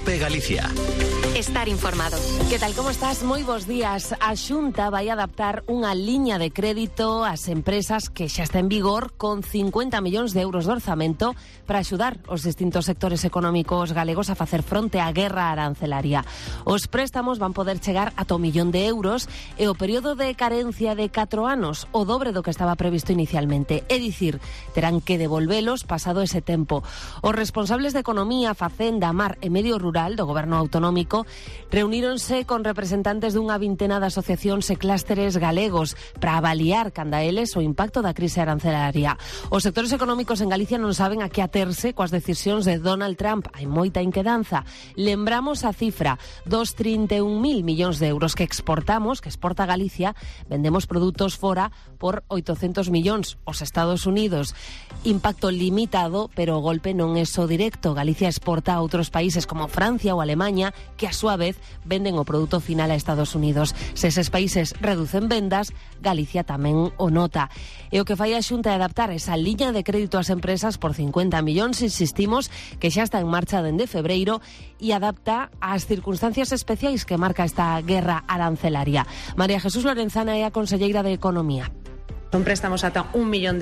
COPE Galicia. Estar informado. Que tal, como estás? Moi bons días. A Xunta vai adaptar unha liña de crédito ás empresas que xa está en vigor con 50 millóns de euros de orzamento para axudar os distintos sectores económicos galegos a facer fronte á guerra arancelaria. Os préstamos van poder chegar ata €1 millón e o período de carencia de 4 anos, o dobre do que estaba previsto inicialmente. É dicir, terán que devolvelos pasado ese tempo. Os responsables de Economía, Facenda, Mar e Medio Rural do Goberno Autonómico reuníronse con representantes dunha vintena de asociacións e clústeres galegos para avaliar canda eles o impacto da crise arancelaria. Os sectores económicos en Galicia non saben a que aterse coas decisións de Donald Trump. Hai moita inquedanza. Lembramos a cifra dos 31.000 millóns de euros que exportamos, que exporta Galicia. Vendemos produtos fora por 800 millóns aos Estados Unidos. Impacto limitado, pero o golpe non é só directo. Galicia exporta a outros países como Francia ou Alemanha, que a súa vez venden o produto final a Estados Unidos. Se eses países reducen vendas, Galicia tamén o nota. E o que fai a Xunta é adaptar esa liña de crédito ás empresas por 50 millóns, insistimos, que xa está en marcha dende febreiro, e adapta ás circunstancias especiais que marca esta guerra arancelaria. María Jesús Lorenzana é a conselleira de Economía. Son préstamos ata €1 millón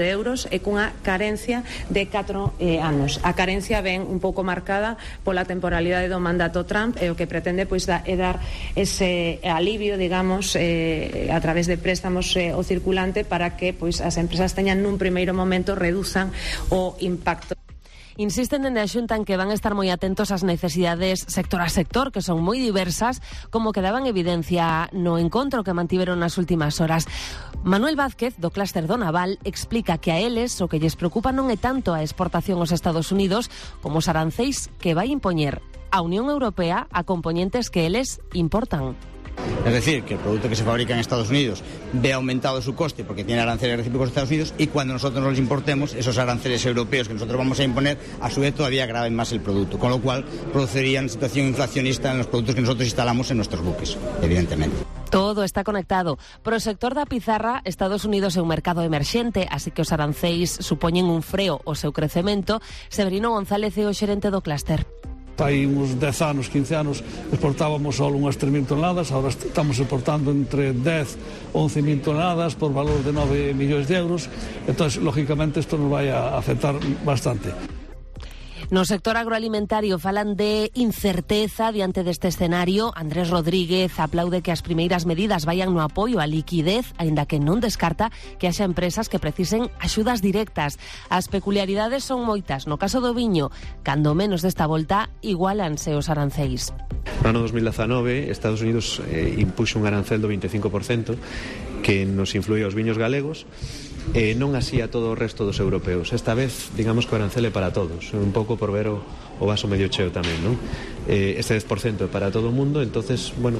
e cunha carencia de 4 anos. A carencia ven un pouco marcada pola temporalidade do mandato Trump e o que pretende é dar ese alivio, digamos, a través de préstamos o circulante para que as empresas teñan nun primeiro momento reduzan o impacto. Insisten en a Xunta en que van a estar moi atentos ás necesidades sector a sector, que son moi diversas, como quedaban evidencia no encontro que mantiveron nas últimas horas. Manuel Vázquez, do clúster do Naval, explica que a eles o que lles preocupa non é tanto a exportación aos Estados Unidos como os arancéis que vai impoñer a Unión Europea a componentes que eles importan. Es decir, que el producto que se fabrica en Estados Unidos ve aumentado su coste porque tiene aranceles recíprocos de Estados Unidos, y cuando nosotros nos los importemos, esos aranceles europeos que nosotros vamos a imponer, a su vez todavía agraven más el producto, con lo cual producirían situación inflacionista en los productos que nosotros instalamos en nuestros buques, evidentemente. Todo está conectado. Pro sector da pizarra, Estados Unidos é un mercado emerxente, así que os arancéis supoñen un freo ao seu crecemento. Severino González é o xerente do clúster. Hai uns 10 anos, 15 anos, exportábamos só unhas 3.000 toneladas, agora estamos exportando entre 10 e 11.000 toneladas por valor de €9 millóns. Entón, lógicamente, isto nos vai a afectar bastante. No sector agroalimentario falan de incerteza diante deste escenario. Andrés Rodríguez aplaude que as primeiras medidas vayan no apoio á liquidez, aínda que non descarta que haxa empresas que precisen axudas directas. As peculiaridades son moitas. No caso do viño, cando menos desta volta, igualanse os aranceis. No ano 2019, Estados Unidos impuxo un arancel do 25% que nos influía aos viños galegos, non así a todo o resto dos europeos. Esta vez, digamos que o arancel é para todos, un pouco por ver o vaso medio cheo tamén, non? Este 10% é para todo o mundo, entonces, bueno,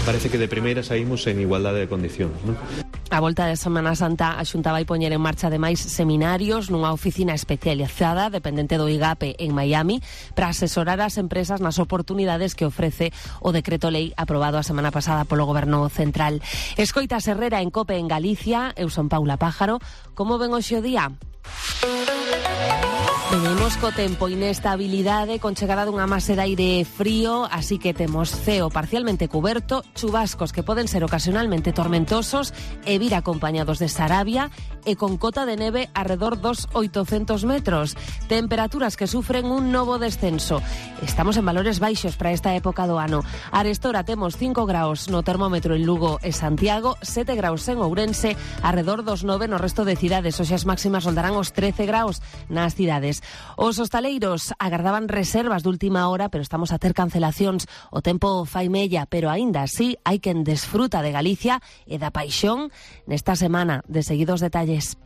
parece que de primeira saímos en igualdade de condicións, non? A volta de Semana Santa, a Xunta vai poñer en marcha ademais seminarios nunha oficina especializada dependente do IGAPE en Miami para asesorar as empresas nas oportunidades que ofrece o decreto lei aprobado a semana pasada polo Goberno Central. Escoita Herrera en COPE en Galicia. Eu son Paula Pájaro. Como ven hoxe o día? Venimos co tempo, inestabilidade con chegada dunha masa de aire frío, así que temos ceo parcialmente cuberto, chubascos que poden ser ocasionalmente tormentosos e vir acompañados de sarabia e con cota de neve arredor dos 800 metros. Temperaturas que sufren un novo descenso. Estamos en valores baixos para esta época do ano. Arestora temos 5 graus no termómetro en Lugo e Santiago, 7 graus en Ourense, arredor dos 9 no resto de cidades. Hoxe as máximas roldarán os 13 graus nas cidades. Os hostaleiros agardaban reservas de última hora, pero estamos a ter cancelacións. O tempo fai mella, pero aínda así hai quen desfruta de Galicia e da paixón nesta semana. De seguidos detalles.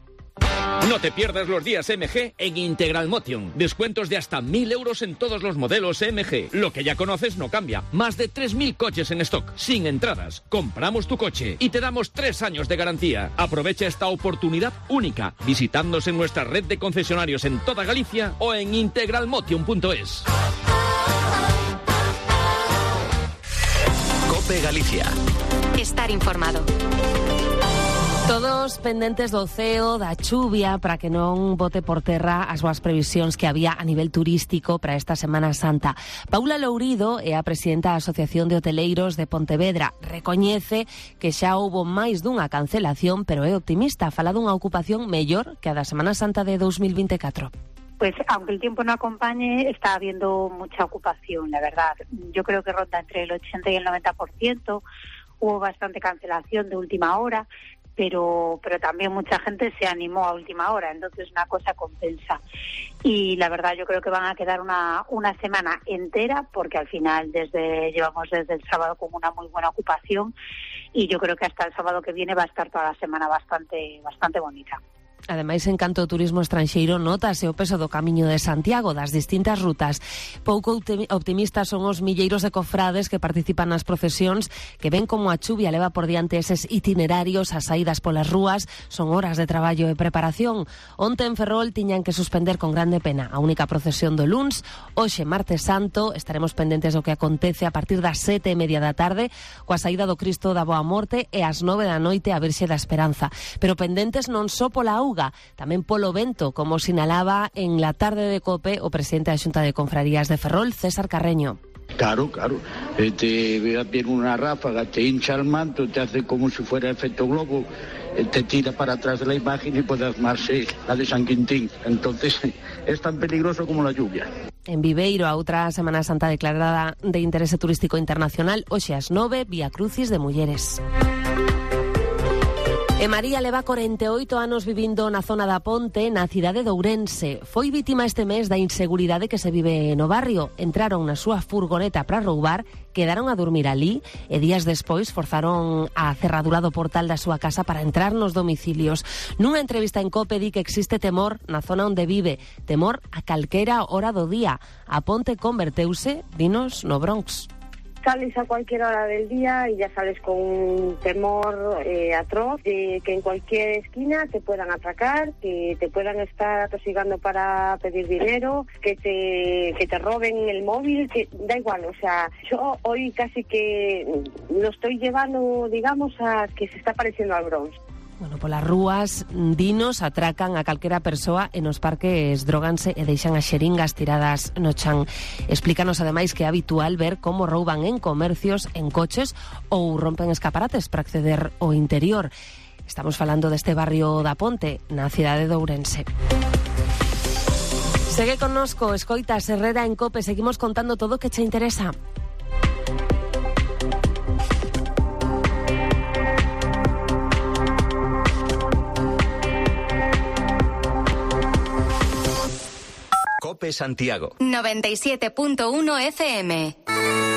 No te pierdas los días MG en Integral Motion. Descuentos de hasta 1.000 euros en todos los modelos MG. Lo que ya conoces no cambia. Más de 3.000 coches en stock, sin entradas. Compramos tu coche y te damos 3 años de garantía. Aprovecha esta oportunidad única visitándonos en nuestra red de concesionarios en toda Galicia o en integralmotion.es. COPE Galicia. Estar informado. Todos pendentes do ceo, da chuvia, para que non bote por terra as boas previsións que había a nivel turístico para esta Semana Santa. Paula Lourido é a presidenta da Asociación de Hoteleiros de Pontevedra. Recoñece que xa houbo máis dunha cancelación, pero é optimista. Fala dunha ocupación mellor que a da Semana Santa de 2024. Pues aunque el tiempo no acompañe, está habiendo mucha ocupación, la verdad. Yo creo que ronda entre el 80 y el 90%. Hubo bastante cancelación de última hora, pero también mucha gente se animó a última hora, entonces una cosa compensa. Y la verdad yo creo que van a quedar una semana entera, porque al final llevamos desde el sábado con una muy buena ocupación, y yo creo que hasta el sábado que viene va a estar toda la semana bastante bonita. Ademais, en canto ao turismo estranxeiro, notase o peso do Camiño de Santiago, das distintas rutas. Pouco optimistas son os milleiros de cofrades que participan nas procesións, que ven como a chuvia leva por diante eses itinerarios, as saídas polas rúas, son horas de traballo e preparación. Onte en Ferrol tiñan que suspender con grande pena a única procesión do luns. Hoxe, martes santo, estaremos pendentes do que acontece a partir das 7:30 da tarde, coa saída do Cristo da Boa Morte, e ás 9 da noite a Virxe da Esperanza. Pero pendentes non só pola auga, tamén polo vento, como sinalaba en la tarde de COPE o presidente da Xunta de Confrarías de Ferrol, César Carreño. Claro. Viene una ráfaga, te hincha el manto, te hace como si fuera efecto globo, te tira para atrás de la imagen y puede armarse la de San Quintín. Entonces es tan peligroso como la lluvia. En Viveiro, a outra Semana Santa declarada de interese turístico internacional, hoxe ás 9, Vía Crucis de Mulleres. E María leva 48 anos vivindo na zona da Ponte, na cidade de Ourense. Foi vítima este mes da inseguridade que se vive no barrio. Entraron na súa furgoneta para roubar, quedaron a dormir ali e días despois forzaron a cerradura do portal da súa casa para entrar nos domicilios. Nunha entrevista en COPE di que existe temor na zona onde vive, temor a calquera hora do día. A Ponte converteuse, dinos, no Bronx. Sales a cualquier hora del día y ya sales con un temor atroz de que en cualquier esquina te puedan atracar, que te puedan estar atosigando para pedir dinero, que te roben el móvil, que da igual. O sea, yo hoy casi que lo estoy llevando, digamos, a que se está pareciendo al Bronx. Bueno, polas rúas, dinos, atracan a calquera persoa e nos parques droganse e deixan as xeringas tiradas no chan. Explícanos ademais que é habitual ver como rouban en comercios, en coches ou rompen escaparates para acceder ao interior. Estamos falando deste barrio da Ponte, na cidade de Ourense. Segue connosco, escoitas Herrera en COPE, seguimos contando todo o que che interesa. COPE Santiago 97.1 FM.